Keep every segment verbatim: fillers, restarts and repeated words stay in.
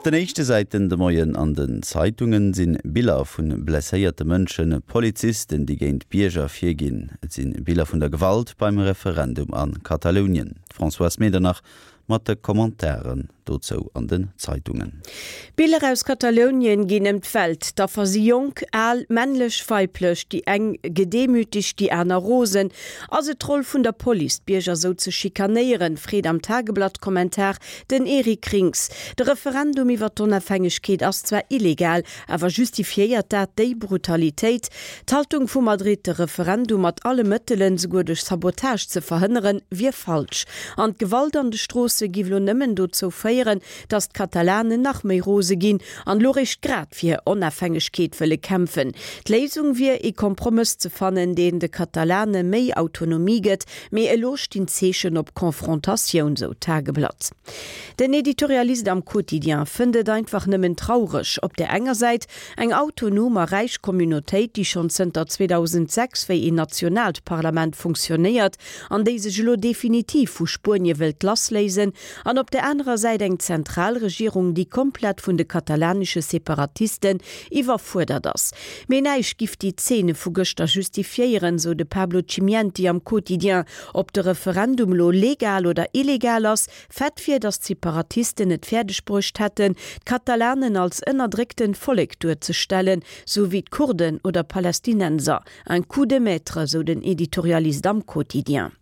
Op den éischte Säiten de Moien an den Zeitungen sinn Biller vun blesséierte Mënschen, Polizisten, déi géint Bierger virginn. Et sinn Biller vun der Gewalt beim Referendum an Katalounien. Françoise Medernach mat de Kommentaren dozou an den Zeitungen. Biller aus Katalounien ginn ëm d'Welt. D'Affer si jonk, al, männlech, weiblech, déi eng gedemütegt, déi aner rosen. Ass et d'Roll vun der Police, d'Bierger sou ze schikanéieren, freet am Tageblatt-Kommentar den Eric Rinks. De Referendum iwwer d'Onofhängegkeet ass zwar illegal, awer justifiéiert dat déi Brutalitéit? D'Haltung vu Madrid, de Referendum mat alle Mëttelen, souguer duerch Sabotage ze verhënneren, wier falsch. An d'Gewalt an de Stroosse giff lo nëmmen dozou féieren, datt d'Katalanen nach méi rose ginn an lo réischt grad fir hir Onafhängegkeet wëlle kämpfen. D'Léisung wier, ee Kompromëss ze fannen, deen de Katalane méi Autonomie gëtt, mee elo stinn d'Zeechen op Konfrontatioun, sou d'Tageblatt. Den Editorialist am Quotidien fënnt et einfach nëmmen traureg, op där enger Säit eng autonom a räich Communautéit, déi schonn zënter zweedausendsechs wéi een nationaalt Parlament funktionéiert an déi sech elo definitiv vu Spuenie wëllt lassléisen, an op der anerer Säit eng Zentralregierung, déi komplett vun de katalanesche Separatisten iwwerfuerdert ass. Mee näischt giff déi Zeene vu gëschter justifiéieren, sou de Pablo Chimienti am Quotidien. Ob de Referendum elo legal oder illegal ass, Fait wier, datt d'Separatisten et fäerdeg bruecht hätten, d'Katalanen als ënnerdrécktent Vollek duerzestellen, sou wéi d'Kurden oder Palästinenser. Un coup de maître, sou den Editorialist am Quotidien.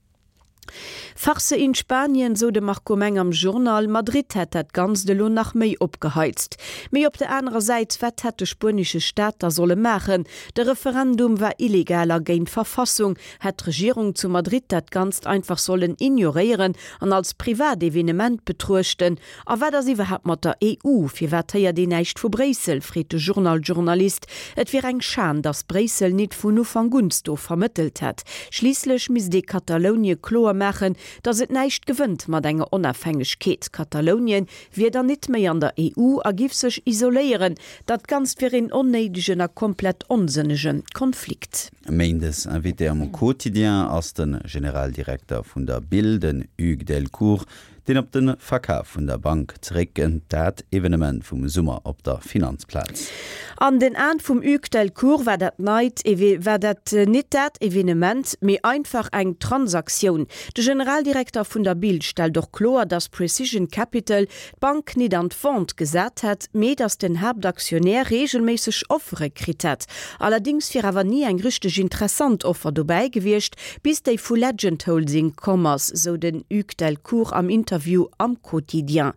Farce in Spanien, sou de Marco Meng am Journal, Madrid hätt dat Ganzt elo nach méi opgeheizt. Mee op der anerer Säit, wat hätt de spuenesche Staat da solle maachen? De Referendum war illegal a géint d'Verfassung. Hätt d'Regierung zu Madrid dat Ganzt einfach sollen ignoréieren an als privat Evenement betruechten? A wat ass iwwerhaapt mat der E U? Firwat héiert een näischt vu Bréissel? Freet de Journal-Journalist. Et wier eng Schan, datt Bréissel nit vun Ufank un do vermëttelt hätt. Schliisslech misst ee Katalounie kloer maachen, datt et näischt gewënnt mat enger Onafhängegkeet. Katalounien wier dann nit méi an der E U a giff sech isoléieren. Dat Ganzt wier een onnéidegen a komplett onsënnege Konflikt. Méindes Invité am Quotidien ass de Generaldirekter vun der B I L, den Hugues Delcourt, deen op de Verkaf vun der Bank zeréckkënnt, dat Evenement vum Summer op der Finanzplaz. An den Aen vum Hugues Delcourt war dat neit war dat nit dat Evenement, mee einfach eng Transaktioun. De Generaldirekter vun der B I L stellt och kloer, datt Precision Capital d'Bank nit an d'Vente gesat hätt, mee datt den Haaptaktionär reegelméisseg Offere kritt hätt. Allerdéngs wier awer ni eng richteg interessant Offer dobäi gewiescht, bis déi vu Legend Holding komm ass, sou den Hugues Delcourt am Interview am Quotidien.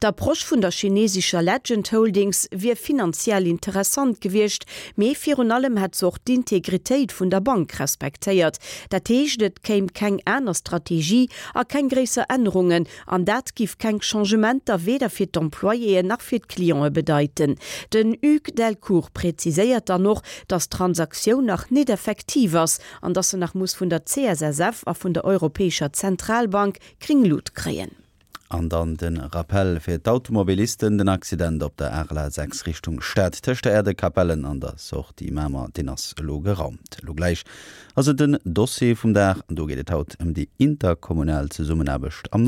D'Approche vun der chinesescher Legend Holdings wier finanziell interessant gewiescht, mee virun allem hätt se och d'Integritéit vun der Bank respektéiert. Dat heescht, et kéim keng aner Strategie a keng gréisser Ännerungen, an dat giff keng Changementer weder fir d'Employéen nach fir d'Clientë bedeiten. Den Hugues Delcourt präziséiert dann och, datt d'Transaktioun nach net effektiv ass an datt se nach muss vun der C S S F a vun der Europäescher Zentralbank gréng Lut kréien. An dann den Rappell fir d'Automobilisten, den Accident op der R L A sechs Richtung Stad tëscht der Aire de Capellen an der Sortie Mamer, deen ass elo geraumt. Elo gläich ass et den Dossier vum Dag, an do geet et haut ëm déi interkommunal Zesummenaarbecht am